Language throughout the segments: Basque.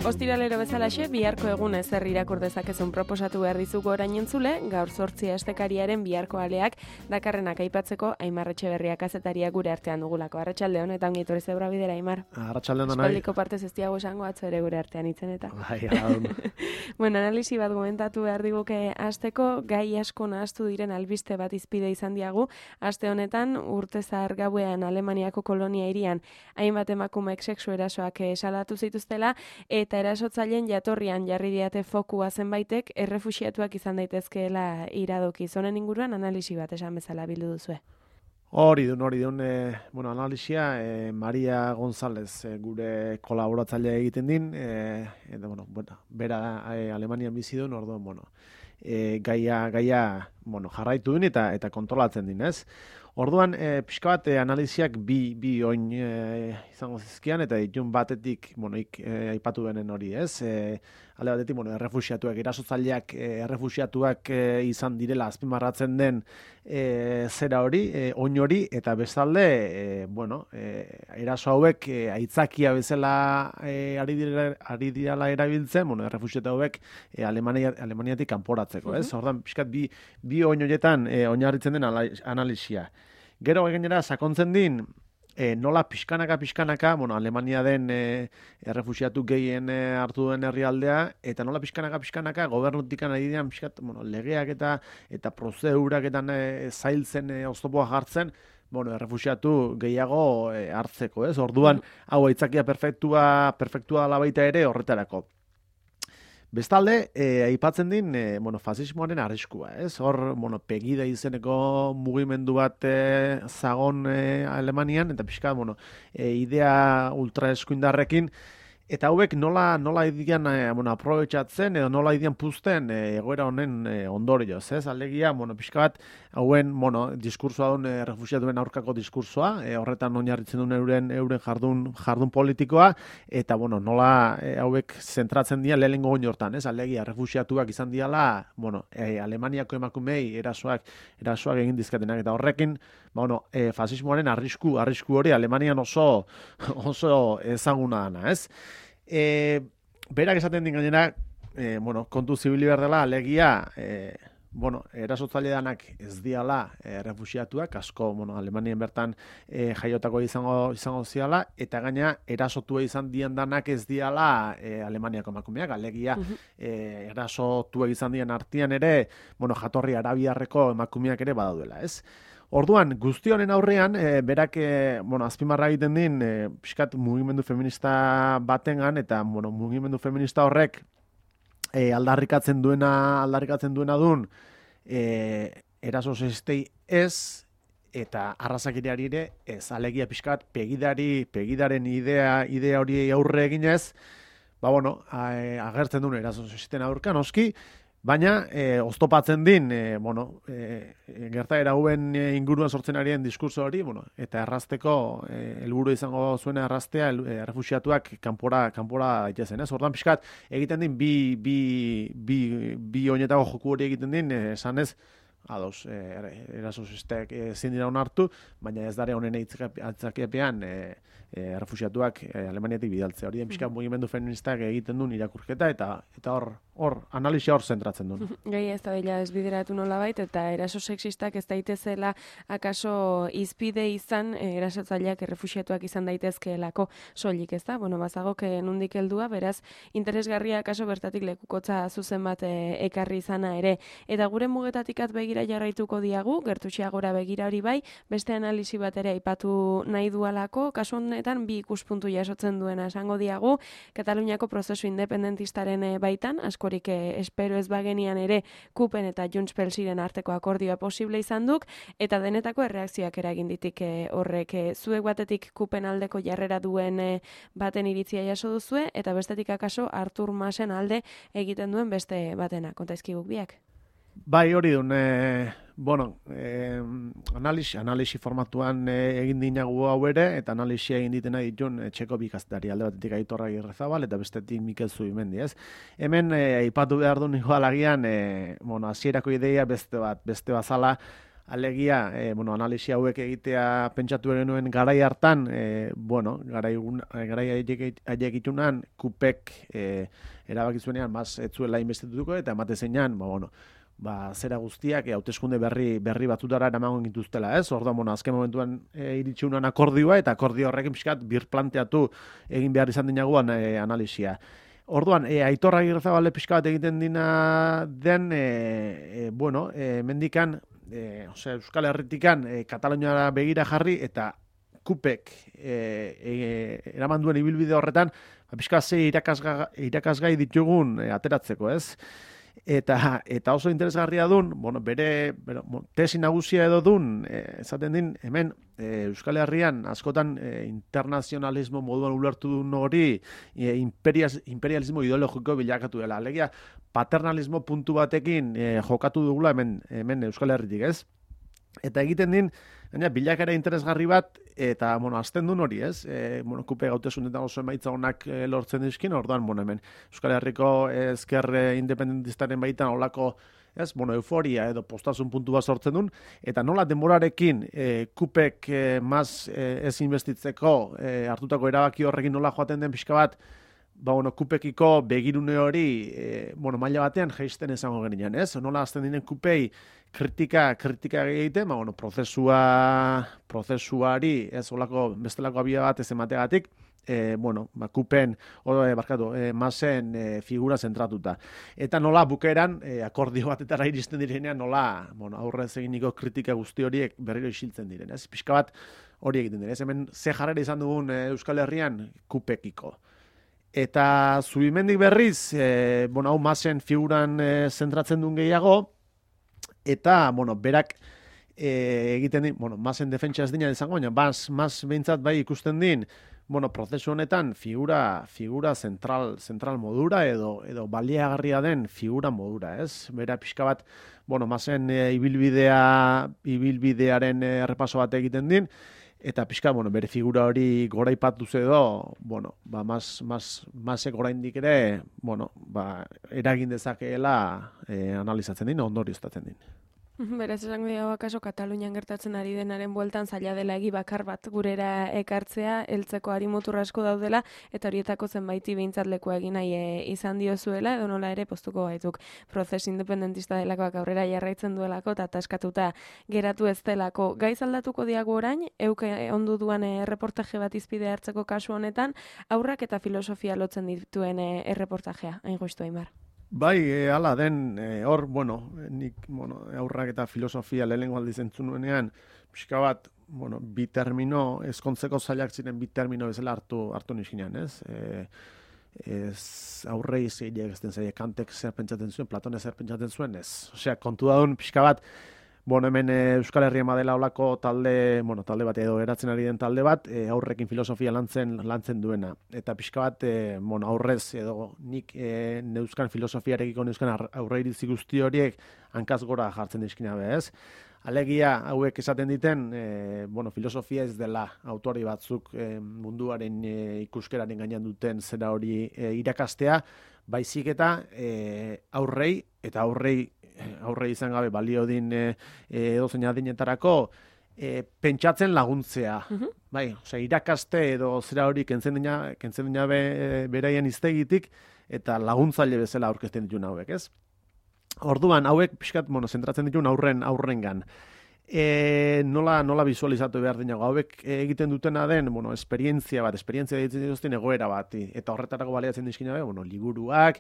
Ostiralero bezalaxe, biharko egun ezer irakur dezakezun proposatu behar dizugu orain entzule, gaur 8 astekariaren biharko aleak dakarrenak aipatzeko Aimar Etxeberria kazetaria gure artean dugulako. Arratsalde on eta ongi etorri zeura bidera, Aimar. Arratsalde on. Espaldiko partez ez diago esango atzo ere gure artean itzen eta. Bai, Bueno, analisi bat komentatu behar diguke hasteko, gai asko nahastu diren albiste bat izpide izan diagu, aste honetan urte zahar gauean Alemaniako kolonia hirian hainbat emakumeek sexu erasoak salatu zituztela, eta erasotzaileen jatorrian jarri diate fokua zenbaitek errefuxiatuak izan daitezkeela iradoki. Zonen inguruan analisi bat esan bezala bildu duzue. Hori dun, analisia Maria González gure kolaboratzailea egiten din, bera Alemanian bizi duen, orduan, gaia jarraitu duen eta kontrolatzen din, ez? Orduan, pixka bat analiziak bi oin izango zizkian, eta ditun batetik, aipatu benen hori, ez? Ale batetik, errefuxiatuak, erasotzaileak errefuxiatuak izan direla azpimarratzen den zera hori, oin hori, eta bestalde, eraso hauek aitzakia bezala ari dirala erabiltzen, errefuxiatu hauek Alemaniatik kanporatzeko, ez? Orduan, pixkat bi oin horietan oinarritzen den analisia. Gero gainera sakontzen din, nola pixkanaka, Alemania den errefuxiatu gehien hartu duen herrialdea, eta nola pixkanaka gobernutik nahi dian legeak eta prozedurak eta zailtzen oztopoa jartzen, errefuxiatu gehiago hartzeko, ez? Orduan, hau aitzakia perfektua dela baita ere horretarako. Bestalde, aipatzen din, fasismoaren arriskua, ez? Hor, Pegida izeneko mugimendu bat zagon Alemanian, eta pixka, idea ultraeskuindarrekin, eta hauek nola idian aprobetxatzen, edo nola idian puzten egoera honen ondorioz, ez? Alegia, pixka bat, hauen, diskursoa duen, refuxiatuen aurkako diskursoa, horretan oinarritzen duen euren jardun politikoa, eta, nola hauek zentratzen dira lehenengo oin hortan, ez? Alegia, refuxiatuak izan diala, Alemaniako emakumei erasoak egin dizkatenak, eta horrekin, fasismoaren arrisku hori Alemanian oso ezaguna dana, ez? Berak esaten din gainera, kontu zibili behar dela, alegia, erasotzaile danak ez diala refuxiatuak, asko, Alemanian bertan jaiotako izango ziala, eta gaina erasotua izan dian danak ez diala Alemaniako emakumeak, alegia erasotua izan dian artean ere, jatorri arabiarreko emakumeak ere badaudela, ez? Orduan, guzti honen aurrean, berak, azpimarra egiten din, pixkat mugimendu feminista batengan, eta, mugimendu feminista horrek aldarrikatzen duena dun, eraso sexistei ez, eta arrazakiriari ere ez, alegia pixkat pegidaren idea hori aurre eginez, agertzen duen eraso sexisten aurka, noski, baina, oztopatzen din, gertaera hauen inguruan sortzen arien diskurso hori, eta errazteko, helburu izango zuena erraztea, errefuxiatuak kanpora daitezen, ez? Orduan pixkat, egiten din, bi oinetako joku hori egiten din, esanez, ados, eraso sexistek ezin dira onartu, baina ez dare honen aitzakiapean errefuxiatuak Alemaniatik bidaltzea. Hori den pixka mugimendu feministak egiten duen irakurketa, eta hor analisia hor zentratzen duen. Gai ez da dela ezbideratu nolabait, eta eraso sexistak ez daitezela akaso izpide izan erasotzaileak errefuxiatuak izan daitezkeelako soilik, ez da? Bazagok nundik heldua, beraz, interesgarria akaso bertatik lekukotza zuzen bat ekarri izana ere. Eta gure mugetatik begira jarraituko diagu, gertutxeagora begira hori bai, beste analisi bat ere aipatu nahi dualako, kasu honetan bi ikuspuntu jasotzen duena esango diagu, Kataluniako prozesu independentistaren baitan, askorik espero ez bagenian ere Kupen eta Junts pel ziren arteko akordioa posible izan duk, eta denetako erreakzioak eragin ditik horrek. Zuek batetik Kupen aldeko jarrera duen baten iritzia jaso duzue, eta bestetik akaso Artur Masen alde egiten duen beste batena, kontaizkiguk biak. Bai, hori dun, analisi formatuan egin dinagu hau ere, eta analisia egin ditena ditun txeko bikaztari, alde batetik Aitor Agirrezabal, eta bestetik Mikel Zubimendi, ez? Hemen, aipatu behar duen igual agian, hasierako ideia beste bazala, Alegia, analisi hauek egitea pentsatu genuen garai hartan, garai haiek itunan, kupek erabaki zuenean, ez zuela inbestituko, eta emate zeinan, zera guztiak hauteskunde berri batzutara eramango gintuztela, ez? Orduan, azken momentuan iritsi unan akordioa, eta akordio horrekin pixkat birplanteatu egin behar izan dinaguan analisia. Orduan, Aitor Agirrezabale pixka bat egiten dina den, mendikan, Euskal Herritikan Kataluniara begira jarri, eta kupek eraman duen ibilbide horretan, pixka ze irakasgai ditugun ateratzeko, ez? Eta oso interesgarria dun, bere tesi nagusia edo dun, esaten din, hemen Euskal Herrian askotan internazionalismo moduan ulertu duen hori imperialismo ideologiko bilakatu dela. Alegia, paternalismo puntu batekin jokatu dugula hemen Euskal Herritik, ez? Eta egiten din, bilakera interesgarri bat, eta, azten duen hori, ez? Kupe gautasunetan oso emaitza honak lortzen dizkin, orduan, hemen Euskal Herriko ezker independentistaren baitan olako, ez, euforia edo postasun puntu bat sortzen duen, eta nola denborarekin kupek ez investitzeko hartutako erabaki horrekin nola joaten den pixka bat, kupekiko begirune hori maila batean jaisten esango genian, ez? Nola azten dinen kupei kritika egiten, prozesuari, ez, olako bestelako abia bat ez emategatik, kupen, masen figura zentratuta. Eta nola bukeran, akordio batetara iristen direnean, nola aurrez eginiko kritika guzti horiek berriro isiltzen diren, ez? Pixka bat hori egiten diren, ez? Hemen ze jarrera izan dugun Euskal Herrian kupekiko. Eta Zubimendik berriz, hau masen figuran zentratzen duen gehiago, eta, berak egiten din, masen defentsa ez dina izango, baina mas behintzat bai ikusten din, prozesu honetan figura zentral modura edo baliagarria den figura modura, ez? Bera pixka bat, masen ibilbidearen errepaso bat egiten din, eta pixka, bere figura hori goraipatuz edo, masek oraindik ere, eragin dezakeela analizatzen din, ondorioztatzen din. Beraz, esango diago akaso Katalunian gertatzen ari denaren bueltan zaila dela egi bakar bat gurera ekartzea, heltzeko harimutur asko daudela, eta horietako zenbaiti behintzat lekua egin nahi izan diozuela, edo nola ere postuko gaituk prozes independentista delakoak aurrera jarraitzen duelako, eta taskatuta geratu ez delako. Gaiz aldatuko diago orain, euke ondu duan erreportaje bat izpide hartzeko kasu honetan, aurrak eta filosofia lotzen dituen erreportajea, hain justu Aimar. Bai, hala den, hor, nik, aurrak eta filosofia lehenengo aldiz entzun nuenean, pixka bat, bi termino, ezkontzeko zailak ziren bi termino bezala hartu niskinean, ez? Aurrei zeileak ez den zeileak, Kantek zer pentsatzen zuen, Platone zer pentsatzen zuen, ez? Osea, kontu daun, pixka bat, hemen Euskal Herrian badela olako talde bat edo eratzen ari den talde bat, aurrekin filosofia lantzen duena. Eta pixka bat, aurrez edo nik neuzkan filosofiarekiko neuzkan aurreiritzi guzti horiek hankaz gora jartzen dizkina be, ez? Alegia hauek esaten diten, filosofia ez dela autori batzuk munduaren ikuskeraren gainean duten zera hori irakastea, baizik eta aurrei izan gabe balio din edozein adinetarako pentsatzen laguntzea. Bai, irakaste edo zera hori kentzen dina beraien iztegitik eta laguntzaile bezala aurkezten dituen hauek, ez? Orduan, hauek pixkat, zentratzen dituen aurrengan. Nola visualizatu behar dinago, hauek egiten dutena den, esperientzia ditzen dituzten egoera bat, eta horretarako baliatzen dizkina, liburuak,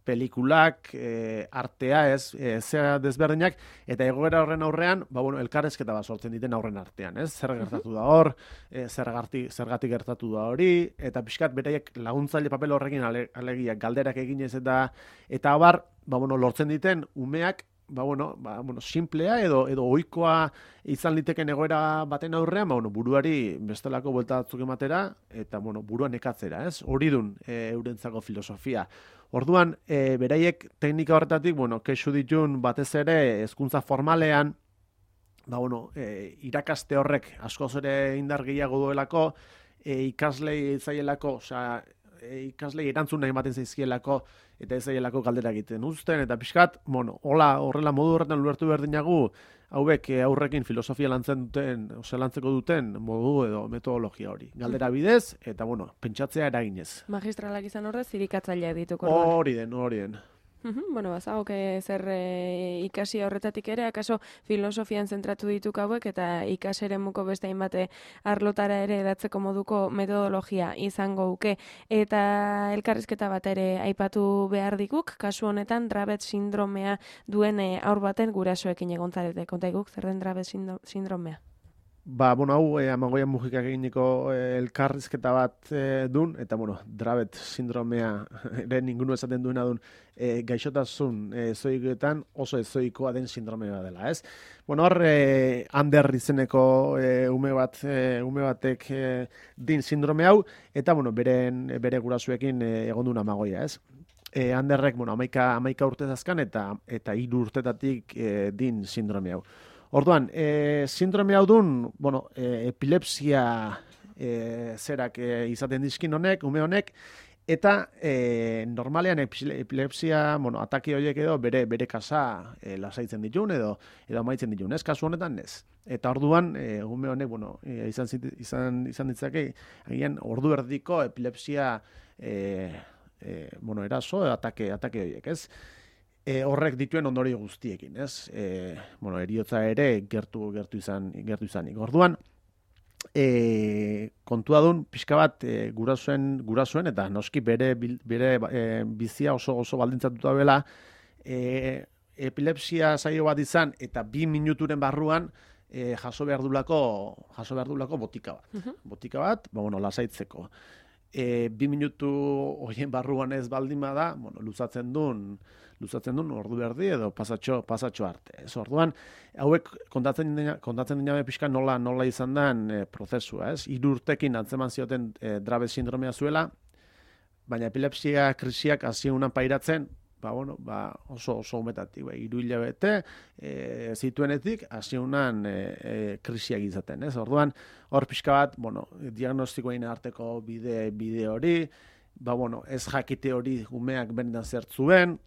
pelikulak, artea, zera desberdinak, eta egoera horren aurrean, elkarrezketa bat sortzen diten aurren artean, ez? Zer gertatu da hor, zergatik gertatu da hori, eta pixkat beraiek laguntzaile papel horrekin alegia galderak eginez eta abar, lortzen diten umeak, simplea edo ohikoa izan liteken egoera baten aurrean, buruari bestelako buelta batzuk ematera, eta buruan ekatzera, ez? Hori dun eurentzako filosofia. Orduan, beraiek teknika horretatik, kexu ditun batez ere hezkuntza formalean, irakaste horrek askoz ere indar gehiago duelako, ikaslei zaielako, ikaslei erantzun nahi ematen zaizkielako eta ez zaielako galdera egiten uzten, eta pixkat, horrela modu horretan ulertu berdinagu, hauek aurrekin filosofia lantzeko duten modu edo metodologia hori. Galdera bidez, eta pentsatzea eraginez. Magistralak izan horrez, zirikatzaileak dituko. Hori den. Bueno, bazagok zer ikasi horretatik ere, akaso filosofian zentratu dituk hauek eta ikaseremuko beste hainbate arlotara ere edatzeko moduko metodologia izango uke. Eta elkarrizketa bat ere aipatu behar dikuk, kasu honetan Dravet sindromea duen haur baten gurasoekin egontzarete. Kontaiguk, zer den Dravet sindromea? Hau Amagoian Mujikak eginiko elkarrizketa bat dun, eta Dravet sindromea ere ningunu esaten duena dun gaixotasun ezoikoetan oso ezoikoa den sindromea dela, ez? Hor Ander izeneko ume batek din sindrome hau, eta bere gurasuekin egon duen Amagoia, ez? Anderrek 11 urte azkan eta 3 urtetatik din sindrome hau. Orduan, sindrome hau dun, epilepsia zerak izaten dizkin ume honek, eta normalean epilepsia, atake horiek edo bere kasa lasaitzen ditun edo amaitzen ditun, ez? Kasu honetan ez. Eta orduan, ume honek, izan ditzake, agian ordu erdiko epilepsia, eraso, atake horiek, ez? Horrek dituen ondorio guztiekin, ez? Heriotza ere gertu izanik. Orduan, kontua dun, pixka bat gurasoen eta noski bere bizia oso baldintzatuta bela, epilepsia saio bat izan eta 2 minuturen barruan jaso behar dulako botika bat. Botika bat, lasaitzeko. 2 minutu horien barruan ez baldin bada, luzatzen duen ordu berdi edo pasatxo arte. Ez orduan, hauek kontatzen dinabe pixka nola izan den prozesua, ez? 3 urtekin antzeman zioten Dravet sindromea zuela, baina epilepsia krisiak hasiunan pairatzen, oso umetatik, 3 hilabete zituenetik hasiunan krisiak izaten, ez? Orduan, hor pixka bat, diagnostikoen arteko bide hori, ez jakite hori umeak benetan zertzuen,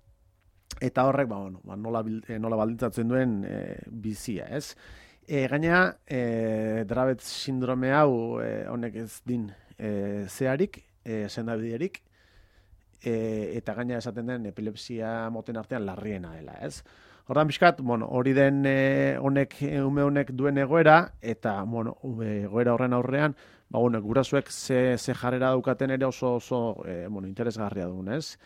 eta horrek, nola baldintzatzen duen bizia, ez? Gainera, Dravet sindrome hau honek ez din zeharik, sendabiderik, eta gainera esaten den epilepsia moten artean larriena dela, ez? Hortan pixkat, hori den ume honek duen egoera, eta egoera horren aurrean, gurasoek ze jarrera daukaten ere oso interesgarria duen, ez?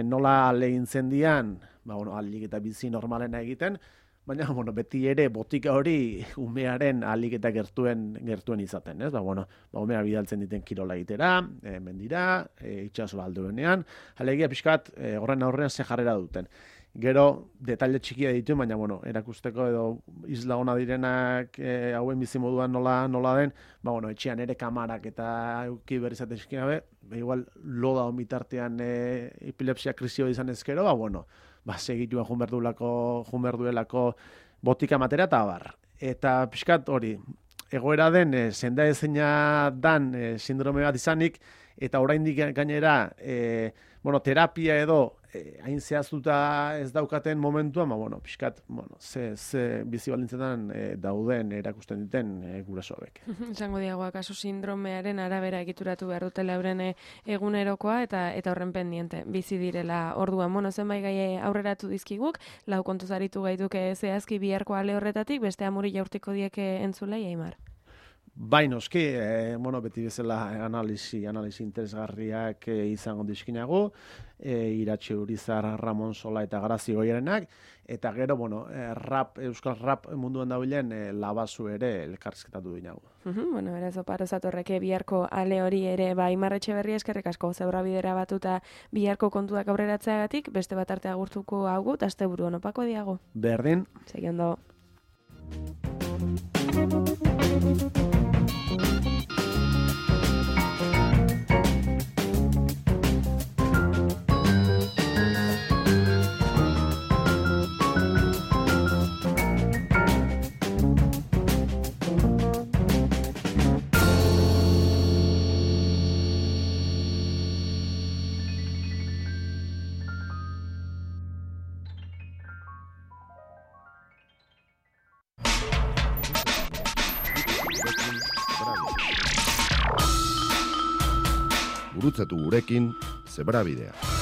Nola alegintzen dian, alik eta bizi normalena egiten, baina beti ere botika hori umearen alik eta gertuen izaten, ez? Umea bidaltzen diten kirola egitera, mendira, itxaso alduenean, alegia pixkat horren aurrean ze jarrera duten. Gero, detaile txikia ditu, baina, erakusteko edo isla ona direnak hauen bizimoduan nola den, etxean ere kamarak eta euki berrizaten gabe, igual loda omitartean epilepsia krisio izan ezkero, segituen junberduelako botika matera eta abar. Eta pixkat hori, egoera den, senda ezina dan sindrome bat izanik, eta oraindik gainera, terapia edo hain zehaztuta ez daukaten momentuan, pixkat, ze bizi balintzetan dauden erakusten duten gurasoek. Esango diagoa, kasu sindromearen arabera egituratu behar dutela euren egunerokoa eta horren pendiente bizi direla orduan. Zenbait gai aurreratu dizkiguk, 4 kontuz aritu gaituke zehazki biharko ale horretatik, beste amuri jaurtiko dieke entzulei, Aimar. Noski, beti bezala analisi interesgarriak izango dizkinagu, Iratxe Urizar, Ramon Sola eta Garazi Goierenak, eta gero, euskal rap munduan dabilen Labazu ere elkarrizketatu dinagu. Beraz, oparo zatorreke biharko ale hori ere, Aimar Etxeberria eskerrik asko, zeura bidera batuta biharko kontuak aurreratzeagatik, beste bat arte agurtuko hau, eta asteburu onopako diago. Berdin. Segi ondo. gurutzatu gurekin Zebrabidea.